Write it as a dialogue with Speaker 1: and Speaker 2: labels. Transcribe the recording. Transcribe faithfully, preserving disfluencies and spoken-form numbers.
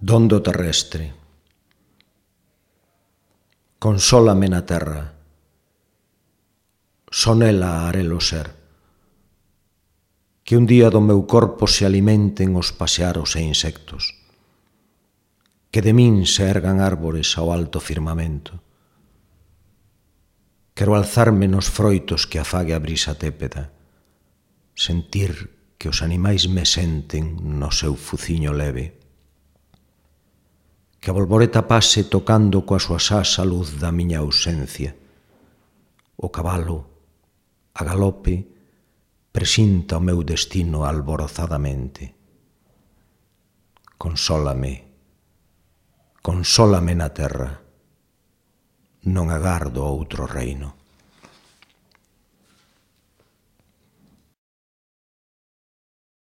Speaker 1: Dondo terrestre. Consólame na terra, son ela arelo ser, que un día do meu corpo se alimenten os paxaros e insectos, que de min se ergan árbores ao alto firmamento. Quero alzarme nos froitos que afague a brisa tépeda, sentir que os animais me senten no seu fuciño leve, que a bolboreta pase tocando coa súa asa a luz da miña ausencia. O cabalo, a galope, presinta o meu destino alborozadamente. Consólame, consólame na terra, non agardo outro reino.